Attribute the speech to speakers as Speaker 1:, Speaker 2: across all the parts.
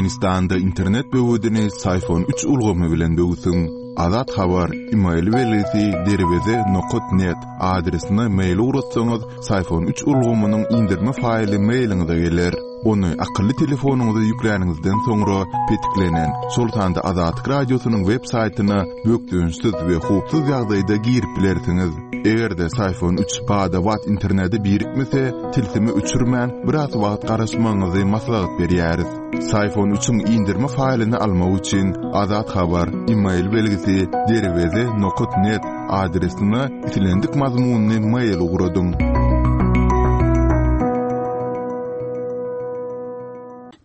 Speaker 1: Türkmenistanda internet böwedini Syfon üç ulgamy bilen böwsüň. Azat Habar, email belgisi derweze nokat net adresine mail ugratsaňyz, Syfon üç ulgamynyň indirme faýly mailiňize geler. Ony akylly telefonyňyza ýükläniňizden soňra petiklenen, şol sanda Azatlyk Radiosynyň web saýtyna bökdençsiz we howpsuz ýagdaýda girip bilersiňiz. Eger-de Syfon üç bada-bat internete birikmese, tilsimi öçürmän, biraz wagt garaşmagyňyzy maslahat berýäris. Syfon üçiň indirme faýlyny almak üçin Azat Habar, email belgisi, derweze nokat net adresine islendik mazmunly mail ugradyň.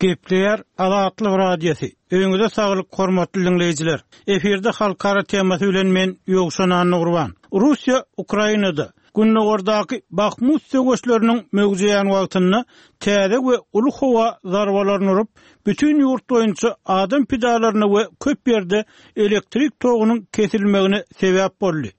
Speaker 2: Gepleýär Azatlyk Radiosy. Öýüňize saglyk hormatly diňleýjiler. Efirde halkara temasy bilen men Ýowşan Annagurban. Russiýa Ukrainada Gündogardaky Bahmut söweşleriniň möwjeýän wagtynda täze we uly howa zarbalaryny urup, bütin ýurt boýunça adam pidalaryna we köp ýerde elektrik togunyň kesilmegine sebäp boldy.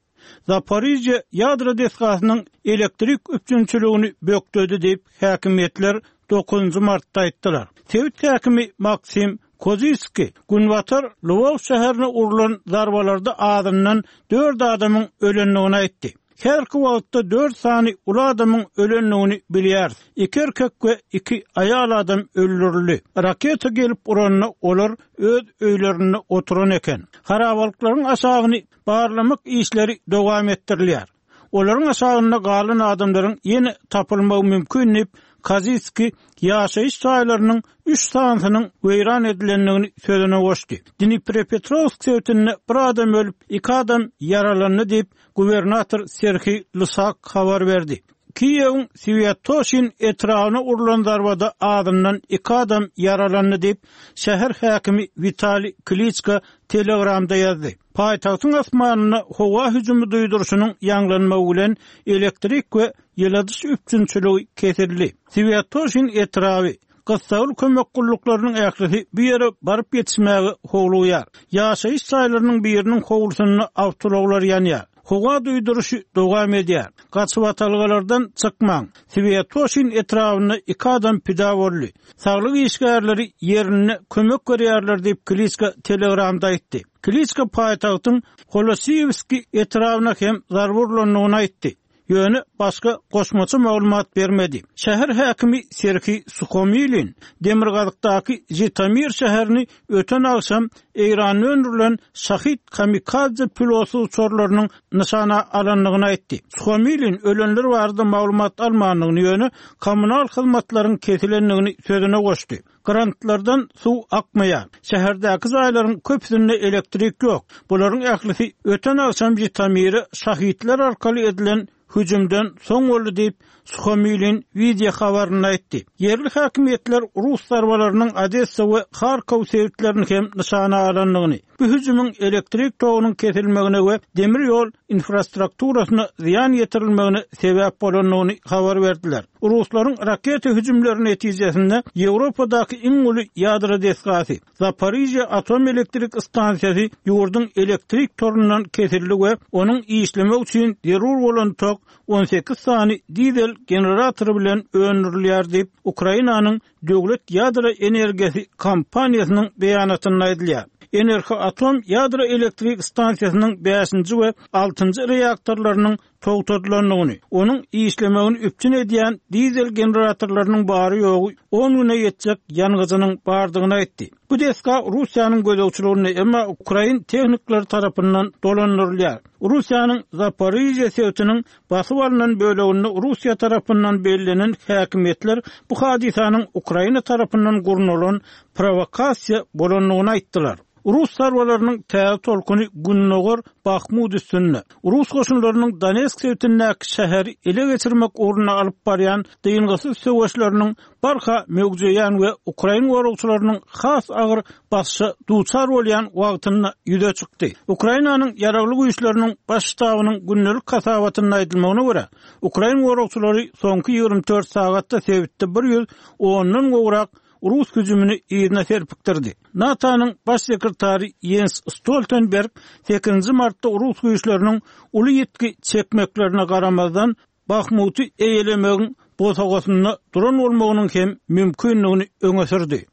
Speaker 2: Zaporižýa ýadro desgasynyň elektrik üpjünçiligini bökdedi diýip, häkimiýetler dokuzynjy martda aýtdylar. Sebit häkimi Maksim Koziskiý günbatar Lwow şäherine urlan zarbalarda azyndan dört adamyň ölendigini aýtdy. Häzirki wagtda dört sany uly adamyň ölendigini bilýäris. Iki erkek we iki aýal adam öldürildi. Raketa gelip uranda olar öz öýlerinde oturan eken. Harabalyklaryň aşagyny barlamak işleri dowam etdirilýär. Olaryň aşagynda galan adamlaryň ýene tapylmagy mümkin diýip, Koziskiý ýaşaýyş jaýlarynyň üç sanysynyň weýran edilendigini sözüne goşdy. Dniprepetrowsk sebitinde bir adam ölüp, iki adam ýaralandy diýip, gubernator Serhiý Lysak habar berdi. Kiýewiň Swýatoşin etrabyna urlan zarbada azyndan iki adam ýaralandy diýip, şäher häkimi Witaliý Kliçko Telegramda ýazdy. Paýtagtyň asmanynda howa hüjümi duýduryşynyň ýaňlanmagy bilen elektrik we ýyladyş üpjünçiligi kesildi. Swýatoşin etraby, gyssagly kömek gulluklarynyň ählisi bu ýere baryp ýetişmäge howlugýar. Ýaşaýyş jaýlarynyň biriniň howlusynda awtoulaglar ýanýar. Howa duýduryşy dowam edýär. Gaçybatalgalardan çykmaň. Swýatoşin etrabynda iki adam pida boldy. Saglyk işgärleri ýerinde kömek berýärler diýip, Kliçko Telegramda aýtdy. Kliçko paýtagtyň Holosiýewskiý etrabyna hem zarba urlandygyny aýtdy. Ýöne başga goşmaça maglumat bermedi. Şäher häkimi Serhiý Suhomilin demirgazykdaky Žitomir şäherini öten agşam Eýranda öndürilen Şahid kamikadze pilotsyz uçarlarynyň nyşana alandygyny aýtdy. Suhomilin ölenler barada maglumat almandygyny, ýöne kommunal hyzmatlaryň kesilendigini sözüne goşdy. Grantlardan suw akmaýar. Şäherdäki jaýlaryň köpüsinde elektrik ýok. Bularyň ählisi öten agşam Žitomire şahidler arkaly edilen hüjümden soň boldy diýip, Suhomilin wideo habarynda aýtdy. Ýerli häkimiýetler rus zarbalarynyň Odessa we Harkow sebitlerini hem nyşana alandygyny, bu hüjümiň elektrik togunyň kesilmegine we demir ýol infrastrukturasyna zyýan ýetirilmegine sebäp bolandygyny habar berdiler. Ruslaryň raketa hüjümleri netijesinde Ýewropadaky iň uly ýadro desgasy, Zaporižýa atom elektrik stansiýasy ýurduň elektrik torundan kesildi we onuň işlemegi üçin zerur bolan tok 18 sany dizel generatory bilen öndürilýär diýip, Ukrainanyň döwlet ýadro energiýasy kompaniýasynyň beýanatynda aýdylýar. Enerhoatom ýadro elektrik stansiýasynyň bäşinji we altynjy reaktorlarynyň togtadylandygyny, onuň işlemegini üpjün edýän dizel generatorlarynyň bary-ýogy on güne ýetjek ýangyjynyň bardygyny aýtdy. Bu desga Russiýanyň gözegçiliginde, emma ukrain tehnikleri tarapyndan dolandyrylýar. Russiýanyň Zaporižýa sebitiniň basyp alnan böleginde Russiýa tarapyndan bellenen häkimiýetler bu hadysanyň Ukraina tarapyndan gurnalan prowokasiýa bolandygyny aýtdylar. Rus zarbalarynyň täze tolkuny gündogar Bahmut üstünde, rus goşunlarynyň Donetsk sebitindäki şäheri ele geçirmek ugrunda alyp barýan dyngysyz söweşleriniň barha möwjeýän we ukrain goragçylarynyň has agyr basyşa duçar bolýan wagtynda ýüze çykdy. Ukrainanyň Ýaragly Güýçleriniň Baş ştabynyň gündelik hasabatynda aýdylmagyna görä, ukrain goragçylary soňky 24 sagatda sebitde bir ýüz ondan gowrak rus hüjümini yzyna serpikdirdi. NATO-nyň Baş sekretary Ýens Stoltenberg sekizinji martda rus güýçleriniň uly ýitgi çekmeklerine garamazdan, Bahmuty eýelemegiň bosagasynda duran bolmagynyň hem mümkindigini öňe sürdi.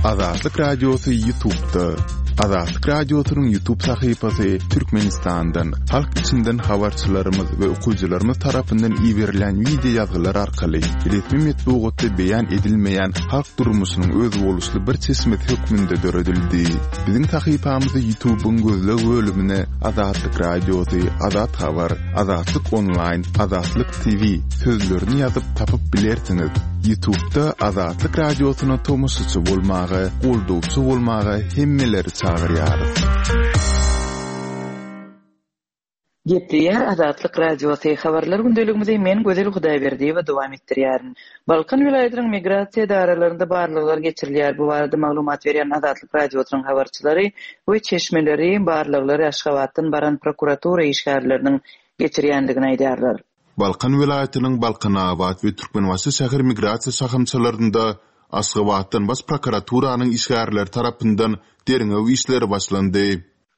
Speaker 1: Azatlyk Radiosy Ýutubda. Azatlyk Radiosynyň Ýutub sahypasy Türkmenistandan, halk içinden habarçylarymyz we okyjylarymyz tarapyndan iberilen wideo ýazgylar arkaly resmi metbugatda beýan edilmeýän halk durmuşynyň özboluşly bir çeşmesi hökmünde döredildi. Biziň sahypamyzy Ýutubyň gözleg bölümine Azatlyk Radiosy, Azat Habar, Azatlyk Onlaýn, Azatlyk TV sözlerini ýazyp tapyp bilersiňiz. Ýutubda Azatlyk Radiosyna tomaşaçy bolmaga, goldawçy bolmaga hemmeleri çagyrýarys.
Speaker 3: Gepleýär Azatlyk Radiosy, Habarlar gündeligimizi men Gözel Hudaýberdiýewa dowam etdirýärin. Balkan welaýatynyň migrasiýa edaralarynda barlaglar geçirilýär. Bu barada maglumat berýän Azatlyk Radiosynyň habarçylary we çeşmeleri barlaglary Aşgabatdan baran prokuratura işgärleriniň geçirýändigini aýdýarlar.
Speaker 1: Balkan welaýatynyň Balkanabat we Türkmenbaşy şäher migrasiýa şahamçalarynda Aşgabatdan Baş prokuraturanyň işgärleri tarapyndan derňew işleri başlandy.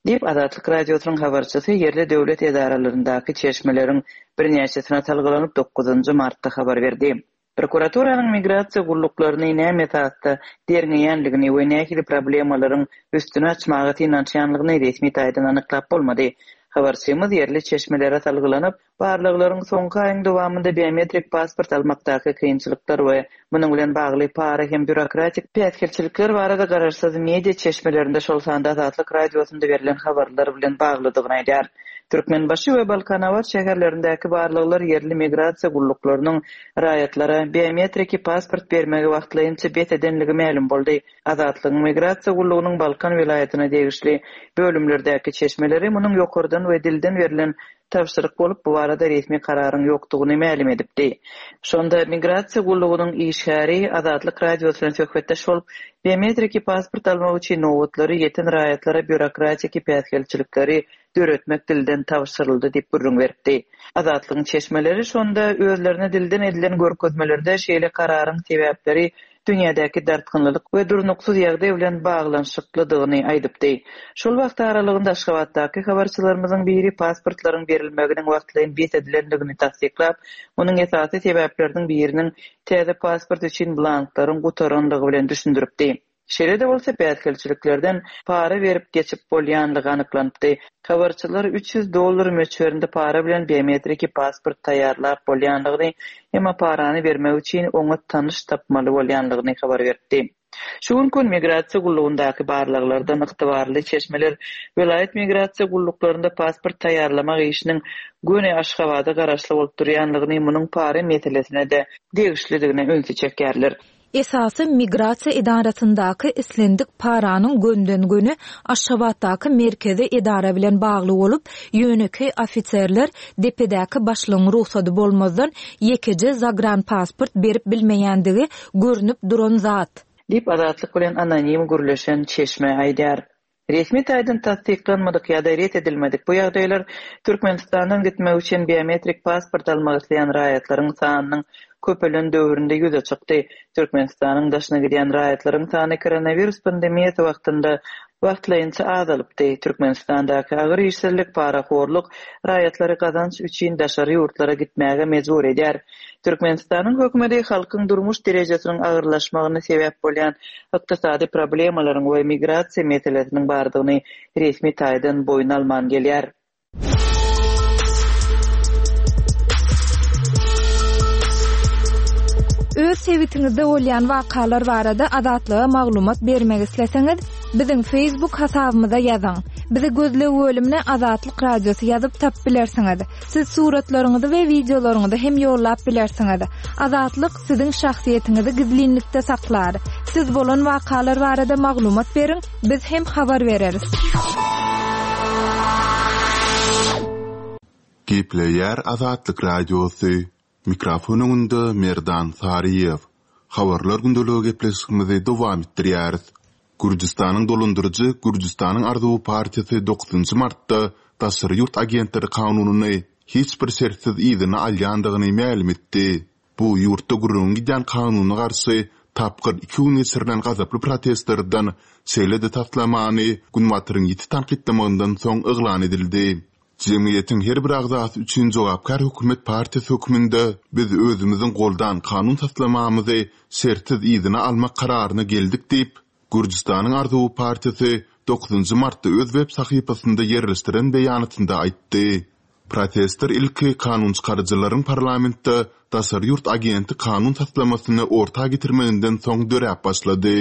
Speaker 3: Diýip, Azatlyk Radiosynyň habarçysy ýerli döwlet edaralaryndaky çeşmeleriň birnäçesine salgylanyp, dokuzynjy martda habar berdi. Prokuraturanyň migrasiýa gulluklaryny näme esasda derňeýänligini we nähili problemalaryň üstüni açmaga synanyşýanlygyny resmi taýdan anyklap bolmady. Habarçymyz ýerli çeşmelere salgylanyp, Barlaglaryň soňky aýyň dowamynda biometrik pasport almakdaky kynçylyklar we munuň bilen bagly para hem býurokratik päsgelçilikler barada garaşsyz media çeşmelerinde, şol sanda Azatlyk Radiosynda berlen habarlar bilen baglydygyny aýdýar. Türkmenbaşy we Balkanabat şäherlerindäki barlaglar ýerli migrasiýa gulluklarynyň raýatlara biometriki pasport bermegi wagtlaýynça bes edenligi mälim boldy. Azatlygyň Migrasiýa gullugynyň Balkan welaýatyna degişli bölümlerdäki çeşmeleri munuň ýokardan we dilden berlen tabşyryk bolup, bu barada resmi kararyň ýokdugyny mälim edipdi. Şonda Migrasiýa gullugynyň işgäri Azatlyk Radiosy bilen söhbetdeş bolup, biometriki pasport almak üçin nobatlary ýeten raýatlara býurokratiki päsgelçilikleri döretmek dilden tabşyryldy diýip gürrüň beripdi. Azatlygyň çeşmeleri şonda özlerine dilden edilen görkezmelerde şeýle kararyň sebäpleri dünýädäki dartgynlylyk we durnuksyz ýagdaý bilen baglanyşyklydygyny aýdypdy. Şol wagt aralygynda Aşgabatdaky habarçylarymyzyň biri pasportlaryň berilmeginiň wagtlaýyn bes edilendigini tassyklap, munuň esasy sebäpleriniň biriniň täze pasport üçin blanklaryň gutaranlygy bilen düşündiripdi. Şeýle-de bolsa, päsgelçiliklerden para berip geçip bolýanlygy anyklanypdy. Habarçylar 300 dollar möçberinde para bilen biometriki pasport taýýarlap bolýandygyny, emma parany bermek üçin oňa tanyş tapmaly bolýandygyny habar beripdi. Şu günki gün Migrasiýa gullugyndaky barlaglardan ygtybarly çeşmeler welaýat migrasiýa gulluklarynda pasport taýýarlamak işiniň göni Aşgabada garaşly bolup durýandygyny, munuň para meselesine-de degişlidigine ünsi çekýärler.
Speaker 4: Esasy migrasiýa edarasyndaky islendik paranyň gönden-göni Aşgabatdaky merkezi edara bilen bagly bolup, ýönekeý ofiserler depedäki başlygyň rugsady bolmazdan ýekeje zagranpasport berip bilmeýändigi görnüp duran zat.
Speaker 3: Diýip, Azatlyk bilen anonim gürleşen çeşme aýdýar. Resmi taýdan tassyklanmadyk ýa-da ret edilmedik bu ýagdaýlar Türkmenistandan gitmek üçin biometrik pasport almak isleýän raýatlaryň sanynyň köpelen döwründe ýüze çykdy. Türkmenistanyň daşyna gidýän raýatlaryň sany koronawirus pandemiýasy wagtynda wagtlaýynça azalypdy. Türkmenistandaky agyr işsizlik, parahorluk raýatlary gazanç üçin daşary ýurtlara gitmäge mejbur edýär. Türkmenistanyň hökümeti halkyň durmuş derejesiniň agyrlaşmagyna sebäp bolýan ykdysady problemalaryň we migrasiýa meselesiniň bardygyny resmi taýdan boýun alman gelýär.
Speaker 4: Öz sebitiňizde bolýan wakalar barada Azatlyga maglumat bermek isleseňiz, biziň Facebook hasabymyza ýazyň. Bizi gözleg bölümine Azatlyk Radiosy ýazyp tapyp bilersiňiz. Siz suratlaryňyzy we wideolaryňyzy hem ýollap bilersiňiz. Azatlyk siziň şahsyýetiňizi gizlinlikde saklar. Siz bolan wakalar barada maglumat beriň, biz hem habar bereris.
Speaker 1: Gepleýär Azatlyk Radiosy, Mikrofon öňünde Merdan Saryýew. Habarlar gündeligi gepleşigimizi dowam etdirýäris. Gürjüstanyň dolandyryjy Gürjüstanyň arzuwy partiýasy dokuzynjy martda daşary ýurt agentleri kanunyny hiç bir şertsiz yzyna alýandygyny mälim etdi. Bu ýurtda gürrüňi gidýän kanuna garşy tapgyr iki gün geçirilen gazaply protestlerden, şeýle-de taslamany Günbataryň ýiti tankytlamagyndan soň yglan edildi. Jemgyýetiň her bir agzasy üçin jogapkär hökümet partiýasy hökmünde biz özümiziň goldan kanun taslamamyzy şertsiz yzyna almak kararyna geldik diýip, Gürjüstanyň Arzuwy partiýasy dokuzynjy martda öz web sahypasynda ýerleşdiren beýanatynda aýtdy. Protestler ilki kanunçykaryjylaryň parlamentde daşary ýurt agenti kanun taslamasyny orta getirmeginden soň döräp başlady.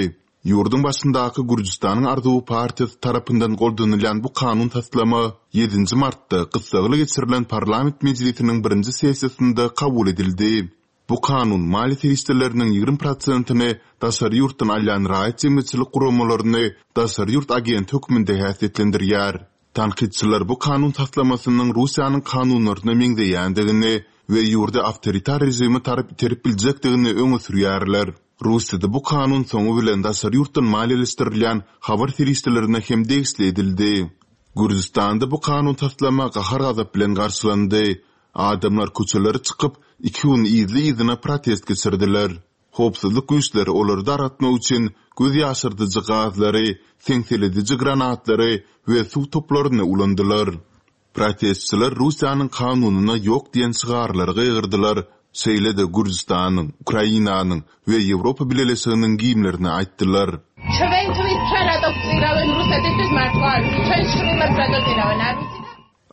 Speaker 1: Ýurduň başyndaky Gürjüstanyň Arzuwy partiýasy tarapyndan goldanylýan bu kanun taslama ýedinji martda gyssagly geçirilen parlament mejlisiniň birinji sessiýasynda kabul edildi. Bu kanun maliýe serişdeleriniň 20 prosentini daşary ýurtdan alýan raýat jemgyýetçilik guramalaryny daşary ýurt agenti hökmünde häsiýetlendirýär. Tankytçylar bu kanun taslamasynyň Russiýanyň kanunlaryna meňzeýändigini we ýurdy awtoritar režime tarap iterip biljekdigini öňe sürýärler. Russiýada bu kanun soňy bilen daşary ýurtdan maliýeleşdirilýän habar serişdelerine hem degişli edildi. Gürjüstanda bu kanun taslama gahar-gazap bilen garşylandy. Adamlar köçelere çykyp, iki gün yzly-yzyna protest geçirdiler. Howpsuzlyk güýçleri olary dargatmak üçin göz ýaşardyjy gazlary, seňselediji granatlary we suw toplaryny ulandylar. Protestçiler Russiýanyň kanunyna ýok diýen şygarlary gygyrdylar, şeýle-de Gürjüstanyň, Ukrainanyň we Ýewropa Bileleşiginiň gimnlerini aýtdylar.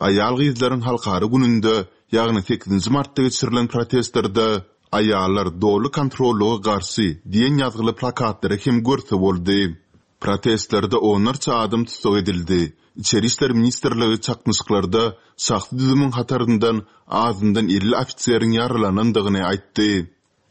Speaker 1: Aýal-gyzlaryň halkara gününde, ýagny sekizinji martda geçirilen protestlerde Aýallar doly kontrollyga garşy diýen ýazgyly plakatlary hem görse boldy. Protestlerde onlarça adam tussag edildi. Içeri işler ministrligi çaknyşyklarda şahsy düzümiň hataryndan azyndan 50 ofiseriň ýaralanandygyny aýtdy.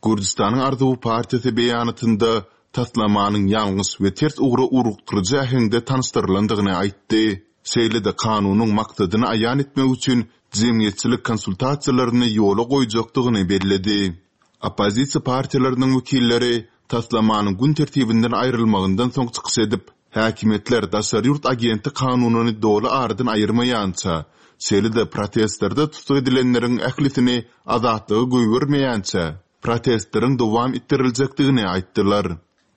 Speaker 1: Gürjüstanyň Arzuwy partiýasy beýanatynda taslamanyň ýalňyş we ters ugra ugrukdyryjy äheňde tanyşdyrylandygyny aýtdy. Şeýle-de kanunyň maksadyny aýan etmek üçin jemgyýetçilik konsultasiýalaryny ýola goýjakdygyny belledi. Oppozisiýa partiýalarynyň wekilleri taslamanyň gün tertibinden aýrylmagyndan soň çykyş edip, häkimiýetler daşary ýurt agenti kanunyny doly aradan aýyrmaýança, şeýle-de protestlerde tussag edilenleriň ählisini azatlyga goýbermeýänçä, protestleriň dowam etdiriljekdigini aýtdylar.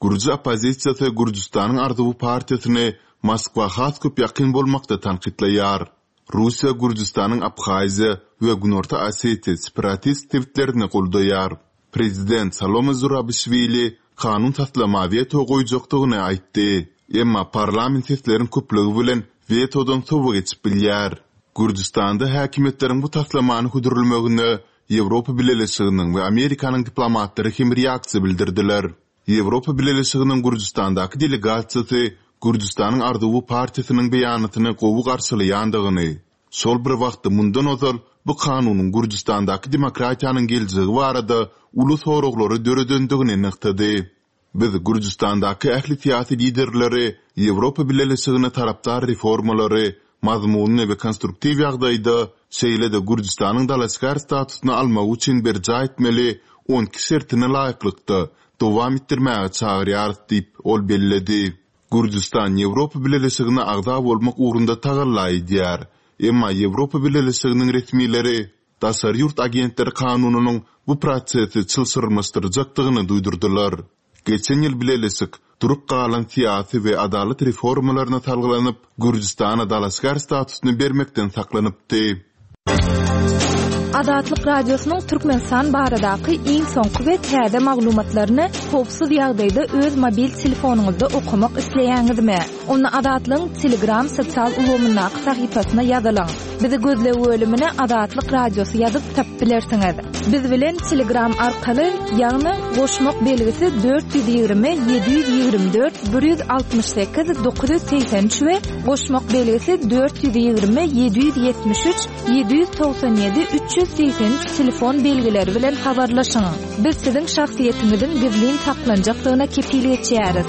Speaker 1: Gürji oppozisiýasy Gürjüstanyň Arzuwy partiýasyny Moskwa has köp ýakyn bolmakda tankytlaýar. Russiýa Gürjüstanyň Abhaziýa we Günorta Osetiýa separatist sebitlerini goldaýar. Prezident Salome Zurabişwili kanun taslama weto goýjakdygyny aýtdy. Emma parlament sesleriň köplügi bilen wetodan sowa geçip bilýär. Gürjüstanda häkimiýetleriň bu taslamany hödürlemegine Ýewropa Bileleşiginiň we Amerikanyň diplomatlary hem reaksiýa bildirdiler. Ýewropa Bileleşiginiň Gürjüstandaky delegasiýasy Gürjüstanyň Arzuwy partiýasynyň beýanatyny gowy garşylaýandygyny, şol bir wagtda mundan ozal bu kanunyň Gürjüstandaky demokratiýanyň geljegi barada uly soraglary döredendigini nygtady. Biz Gürjüstandaky ähli syýasy liderleri Ýewropa Bileleşigine tarapdar reformalary mazmunly we konstruktiw ýagdaýda, şeýle-de Gürjüstanyň dalaşgär statusyny almagy üçin berjaý etmeli on iki şertine laýyklykda dowam etdirmäge çagyrýarys diýip, ol belledi. Gürjüstan Ýewropa Bileleşigine agza bolmak ugrunda tagalla edýär. Emma Ýewropa Bileleşiginiň resmileri daşary ýurt agentleri kanunynyň bu prosesi çylşyrymlaşdyrjakdygyny duýdurdylar. Geçen ýyl bileleşik, durup galan syýasy we adalat reformalaryna salgylanyp, Gürjüstana dalaşgär statusyny bermekden saklanypdy.
Speaker 4: Azatlyk Radiosynyň Türkmenistan baradaky iň soňky we täze maglumatlaryny howpsuz ýagdaýda öz mobil telefonyňyzda okamak isleýäňizmi? Onda Azatlygyň Telegram sosial ulgamyndaky sahypasyna ýazylyň. Bizi gözleg bölümine Azatlyk Radiosy ýazyp tapyp bilersiňiz. Biz bilen Telegram arkaly, ýagny goşmak belgisi 420 724 168 983 we goşmak belgisi 420 773 797 383 telefon belgileri bilen habarlaşyň. Biz siziň şahsyýetiňiziň gizlin saklanjakdygyna kepil geçýäris.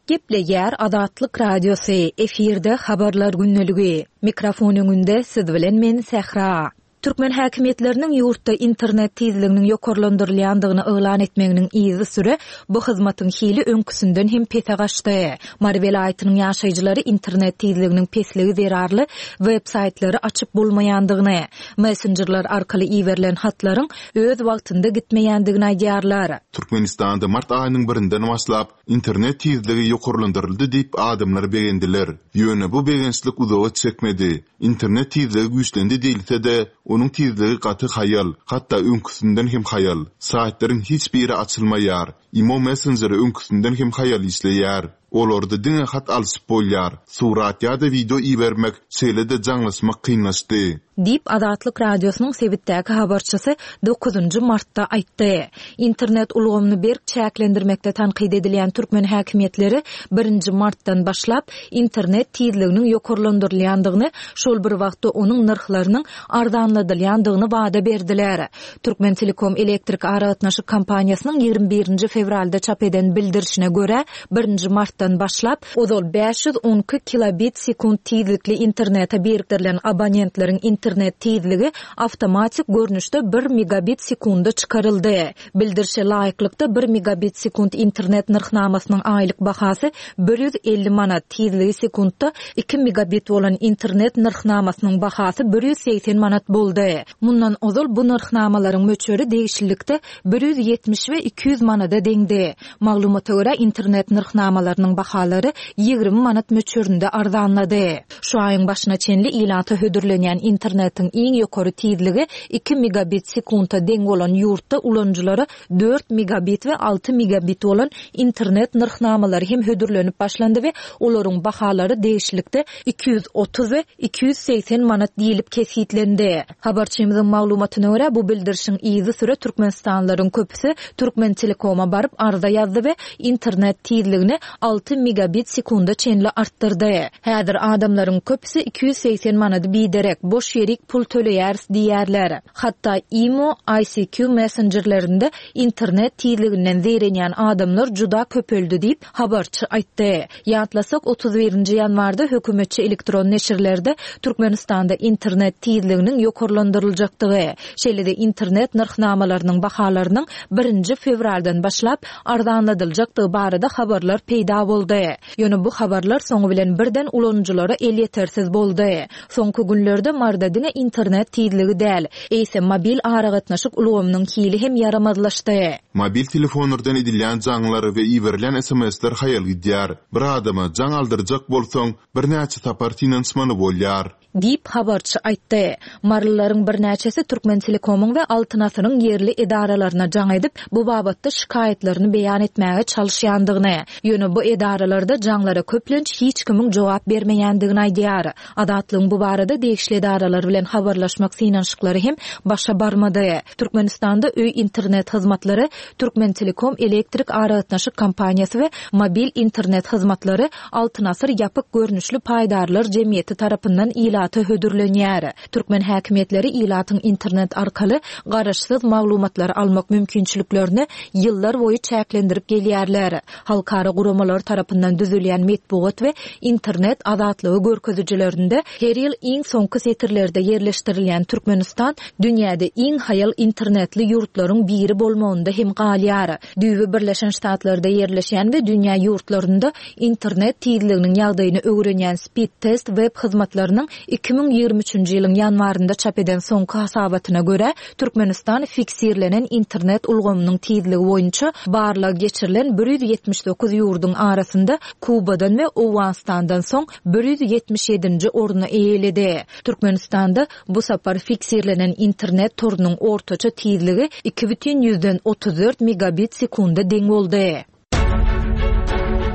Speaker 4: Gepleýär Azatlyk Radiosy, efirde Habarlar gündeligi. Mikrofon öňünde siz bilen men Sähra. Türkmen häkimiýetleriniň ýurtda internet tizliginiň ýokarlandyrylýandygyny yglan etmeginiň yzysüre bu hyzmatyň hili öňküsinden hem pese gaçdy. Mary welaýatynyň ýaşaýjylary internet tizliginiň pesligi zerarly web-saýtlary açyp bolmaýandygyny, messenjerler arkaly iberilen hatlaryň öz wagtynda gitmeýändigini aýdýarlar.
Speaker 1: Türkmenistanda mart aýynyň birinden başlap, Internet tizligi ýokarlandyryldy diýip adamlar begendiler. Ýöne bu begençlik uzaga çekmedi. Internet tizligi güýçlendi diýilse-de, onuň tizligi gaty haýal, hatda öňküsinden hem haýal. Saýtlaryň hiç biri açylmaýar. Imo messenjeri öňküsinden hem haýal işleýär. Olarda diňe hat alşyp bolýar, surat ýa-da wideo ibermek, şeýle-de jaňlaşmak kynlaşdy.
Speaker 5: Diýip, Azatlyk Radiosynyň sebitdäki habarçysy dokuzynjy martda aýtdy. Internet ulgamyny berk çäklendirmekde tankyt edilýän türkmen häkimiýetleri birinji martdan başlap, internet tizliginiň ýokarlandyrylýandygyny, şol bir wagtda onuň nyrhlarynyň arzanladylýandygyny wada berdiler. Türkmentelekom elektrik aragatnaşyk kompaniýasynyň 21 nji fewralda çap eden bildirişine görä, birinji martdan başlap, ozal 512 kilobit sekunt tizlikli internete birikdirilen abonentleriň internet tizligi awtomatik görnüşde bir megabit sekunda çykaryldy. Bildirişe laýyklykda, bir megabit sekunt internet nyrhnamasynyň aýlyk bahasy 150 manat, tizligi sekuntda iki megabit bolan internet nyrhnamasynyň bahasy 180 manat boldy. Mundan ozal bu nyrhnamalaryň möçberi degişlilikde 170 we 200 manada deňdi. Maglumata görä, internet nyrhnamalarynyň bahalary 20 manat möçberinde arzanlady. Şu aýyň başyna çenli ilata hödürlenýän internetiň iň ýokary tizligi iki megabit sekunta deň bolan ýurtda ulanyjylara dört megabit we alty megabit bolan internet nyrhnamalary hem hödürlenip başlandy we olaryň bahalary degişlilikde 230 we 280 manat diýlip kesgitlendi. Habarçymyzyň maglumatyna görä, bu bildirişiň yzysüre türkmenistanlylaryň köpüsi Türkmentelekoma baryp arza ýazdy we internet tizligini alty megabit sekunda çenli artdyrdy. Häzir adamlaryň köpüsi 280 manady biderek, boş ýerik pul töleýäris diýýärler. Hatda imo, ICQ messenjerlerinde internet tizliginden zeýrenýän adamlar juda köpeldi diýip, habarçy aýtdy. Ýatlasak, 31 nji ýanwarda hökümetçi elektron neşirlerde Türkmenistanda internet tizliginiň ýokarlandyryljakdygy, şeýle-de internet nyrhnamalarynyň bahalarynyň birinji fewraldan başlap arzanladyljakdygy barada habarlar peýda boldy. Ýöne bu habarlar soňy bilen birden ulanyjylara elýetersiz boldy. Soňky günlerde Maryda diňe internet tizligi däl, eýsem mobil aragatnaşyk ulgamynyň hili hem ýaramazlaşdy.
Speaker 1: Mobil telefonlardan edilýän jaňlar we iberilýän sms-ler haýal gidýär. Bir adama jaň aldyrjak bolsaň, birnäçe sapar synanyşmaly bolýar.
Speaker 5: Diýip, habarçy aýtdy. Marylylaryň birnäçesi Türkmentelekomyň we Altyn asyryň ýerli edaralaryna jaň edip, bu babatda şikaýatlaryny beýan etmäge çalyşýandygyny, ýöne bu edaralarda jaňlara köplenç hiç kimiň jogap bermeýändigini aýdýar. Azatlygyň bu barada degişli edaralar bilen habarlaşmak synanyşyklary hem başa barmady. Türkmenistanda öý internet hyzmatlary Türkmentelekom elektrik aragatnaşyk kompaniýasy we mobil internet hyzmatlary Altyn asyr ýapyk görnüşli paýdarlar jemgyýeti tarapyndan ilata hödürlenýär. Türkmen häkimiýetleri ilatyň internet arkaly garaşsyz maglumatlary almak mümkinçiliklerini ýyllar boýy çäklendirip gelýärler. Halkara guramalary tarapyndan düzülýän metbugat we internet azatlygy görkezijilerinde her ýyl iň soňky setirlerde ýerleşdirilýän Türkmenistan dünýäde iň haýal internetli ýurtlaryň biri bolmagynda hem galýar. Düýbi Birleşen Ştatlarda ýerleşýän we dünýä ýurtlarynda internet tizliginiň ýagdaýyny öwrenýän Speedtest web hyzmatlarynyň 2023-nji ýylyň ýanwarynda çap eden soňky hasabatyna görä, Türkmenistan fiksirlenen internet ulgamynyň tizligi boýunça barlag geçirilen 179 ýurduň arasynda Kubadan we Owganystandan soň 177-nji orny eýeledi. Türkmenistanda Bu sapar fiksirlenen internet torunyň ortaça tizligi 2,34 megabit sekunda deň boldy.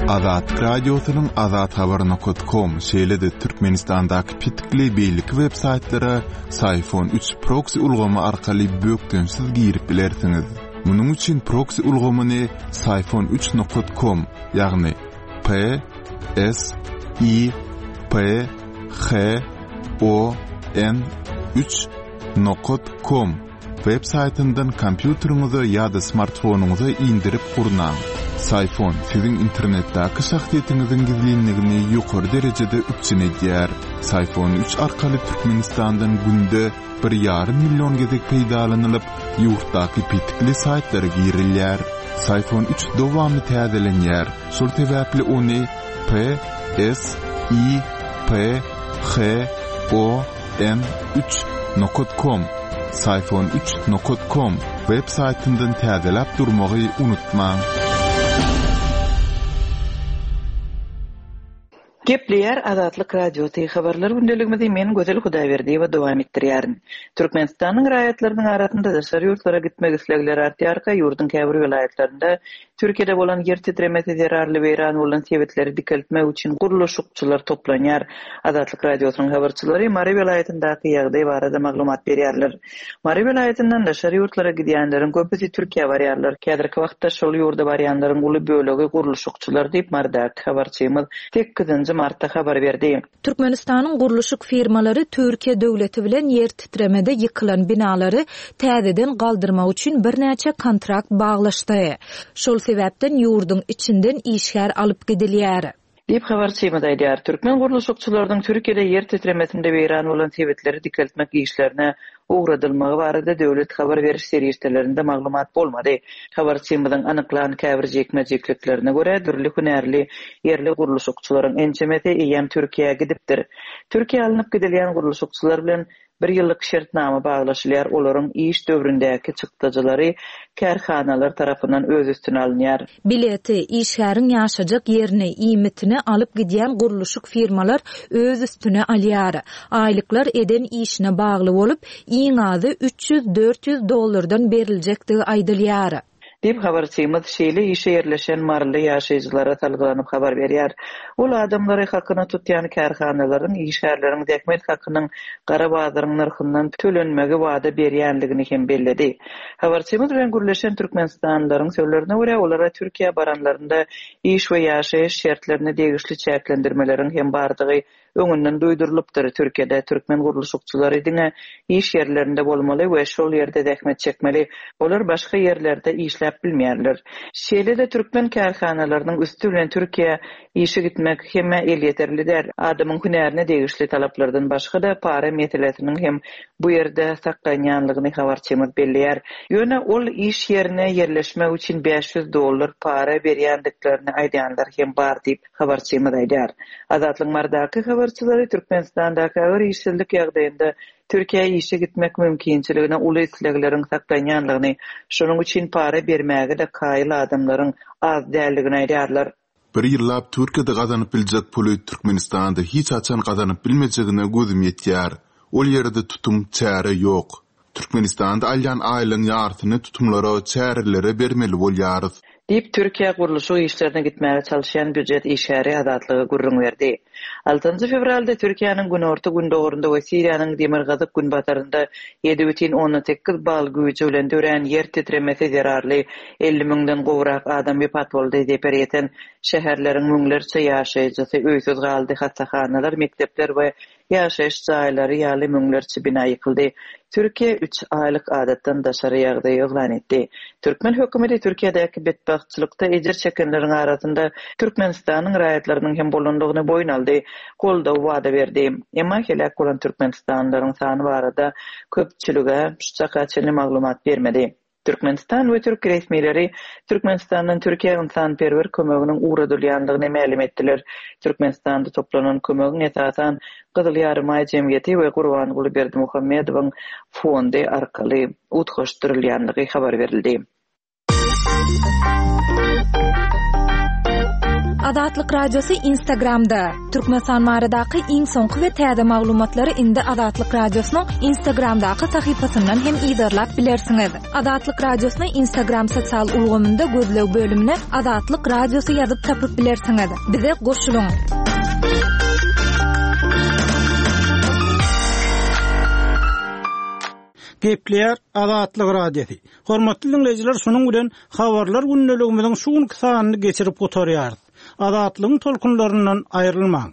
Speaker 1: Azatlyk Radiosynyň azathabar nokat kom, şeýle-de Türkmenistandaky petikli beýleki web saýtlara Syfon üç proksi ulgamy arkaly bökdençsiz girip bilersiňiz. Munuň üçin proksi ulgamyny syfon üç nokat kom, ýagny P S I P H O N üç nokat kom web saýtyndan kompýuteriňize ýa-da smartfonyňyza indirip gurnaň. Syfon siziň internetdäki şahsyýetiňiziň gizlinligini ýokary derejede üpjün edýär. Syfon üç arkaly Türkmenistandan günde bir ýarym million gezek peýdalanylyp, ýurtdaky petikli saýtlara girilýär. Syfon üç dowamly täzelenýär, şol sebäpli ony P S I P H O N üç nokat kom, Syfon üç nokat kom, web saýtyndan täzeläp durmagy unutmaň.
Speaker 3: Gepleýär Azatlyk Radiosy, Habarlar gündeligimizi men Gözel Hudaýberdiýewa dowam etdirýärin. Türkmenistanyň raýatlarynyň arasynda daşary ýurtlara gitmek islegleri artýarka, ýurduň käbir welaýatlarynda Türkiýede bolan ýer titremesi zerarly weýran bolan sebitleri dikeltmek üçin gurluşykçylar toplanýar. Azatlyk Radiosynyň habarçylary Mary welaýatyndaky ýagdaý barada maglumat berýärler. Mary welaýatyndan daşary ýurtlara gidýänleriň köpüsi Türkiýä barýarlar. Häzirki wagtda şol ýurda barýanlaryň uly bölegi gurluşykçylar diýip, Marydaky habarçymyz sekizinji martda habar berdi.
Speaker 5: Türkmenistanyň gurluşyk firmalary Türkiýe döwleti bilen ýer titremede ýykylan binalary täzeden galdyrmak üçin birnäçe kontrakt baglaşdy. Şol sebäpden ýurduň içinden işgär alyp gidilýär.
Speaker 3: Diýip, habarçymyz aýdýar. Türkmen gurluşykçylarynyň Türkiýede ýer titremesinde weýran bolan sebitleri dikeltmek işlerine ugradylmagy barada döwlet habar beriş serişdelerinde maglumat bolmady. Habarçymyzyň anyklan käbir jikme-jikliklerine görä, dürli hünärli ýerli gurluşykçylaryň ençemesi eýýäm Türkiýä gidipdir. Türkiýä alnyp gidilýän gurluşykçylar bilen bir ýyllyk şertnama baglaşylýar, olaryň iş döwründäki çykdajylary kärhanalar tarapyndan öz üstüne alynýar.
Speaker 5: Bileti, işgäriň ýaşajak ýerini, iýmitini alyp gidýän gurluşyk firmalar öz üstüne alýar. Aýlyklar eden işine bagly bolup, iň azy 300-400 dollardan beriljekdigi aýdylýar.
Speaker 3: Diýip, habarçymyz şeýle işe ýerleşen maryly ýaşaýjylara salgylanyp habar berýär. Ol adamlary hakyna tutýan kärhanalaryň işgärleriň zähmet hakynyň gara bazaryň nyrhyndan tölenmegi wada berýänligini hem belledi. Habarçymyz bilen gürleşen türkmenistanlylaryň sözlerine görä, olara Türkiýä baranlarynda iş we ýaşaýyş şertlerine degişli çäklendirmeleriň hem bardygy öňünden duýdurylypdyr. Türkiýede türkmen gurluşykçylary diňe iş ýerlerinde bolmaly we şol ýerde zähmet çekmeli. Olar başga ýerlerde işläp bilmeýärler. Şeýle-de türkmen kärhanalarynyň üsti bilen Türkiýä işe gitmek hemmä elýeterli däl. Adamyň hünärine degişli talaplardan başga-da para meselesiniň hem bu ýerde saklanýanlygyny habarçymyz belleýär. Ýöne ol iş ýerine ýerleşmek üçin 500 dollar para berýändiklerini aýdýanlar hem bar diýip, habarçymyz aýdýar. Azatlygyň Marydaky habarçylary Türkmenistandaky agyr işsizlik ýagdaýynda Türkiýä işe gitmek mümkinçiligine uly islegleriň saklanýanlygyny, şonuň üçin para bermäge-de kaýyl adamlaryň az däldigini aýdýarlar.
Speaker 1: Bir ýyllap Türkiýede gazanyp biljek puly Türkmenistanda hiç haçan gazanyp bilmejegine gözüm ýetýär. Ol ýerde tutum, çäre ýok. Türkmenistanda alýan aýlygyň ýarsyny tutumlara, çärelere bermeli bolýarys.
Speaker 3: Diýip, Türkiýä gurluşyk işlerine gitmäge çalyşýan býujet işgäri Azatlyga gürrüň berdi. Altynjy fewralda Türkiýäniň günorta-gündogarynda we Siriýanyň demirgazyk-günbatarynda 7,8 bal güýji bilen dörän ýer titremesi zerarly 50 müňden gowrak adam wepat boldy, zeper ýeten şäherleriň müňlerçe ýaşaýjysy öýsüz galdy, hassahanalar, mekdepler we Ýaşaýyş jaýlary ýaly müňlerçe bina ýykyldy. Türkiýe üç aýlyk adatdan daşary ýagdaý yglan etdi. Türkmen hökümeti Türkiýedäki betbagtçylykda ejir çekenleriň arasynda Türkmenistanyň raýatlarynyň hem bolandygyny boýun aldy, goldaw wada berdi. Emma heläk bolan türkmenistanlylaryň sany barada köpçülige şu çaka çenli maglumat bermedi. Türkmenistan we türk resmileri Türkmenistandan Türkiýä ynsanperwer kömeginiň ugradylýandygyny mälim etdiler. Türkmenistanda toplanan kömegiň esasan Gyzyl Ýarymaý jemgyýeti we Gurbanguly Berdimuhamedowyň fondy arkaly utgaşdyrylýandygy habar berildi.
Speaker 4: Azatlyk Radiosy Instagramda, Türkmenistan baradaky iň soňky we täze maglumatlary indi Azatlyk Radiosynyň Instagramdaky sahypasyndan hem yzarlap bilersiňiz. Azatlyk Radiosyny Instagram sosial ulgamynda gözleg bölümine Azatlyk Radiosy ýazyp tapyp bilersiňiz. Bize goşulyň!
Speaker 2: Gepleýär Azatlyk Radiosy. Hormatly diňleýjiler, şunuň bilen Habarlar gündeligimiziň şu günki sanyny geçirip gutarýarys. Azatlygyň tolkunlaryndan aýrylmaň!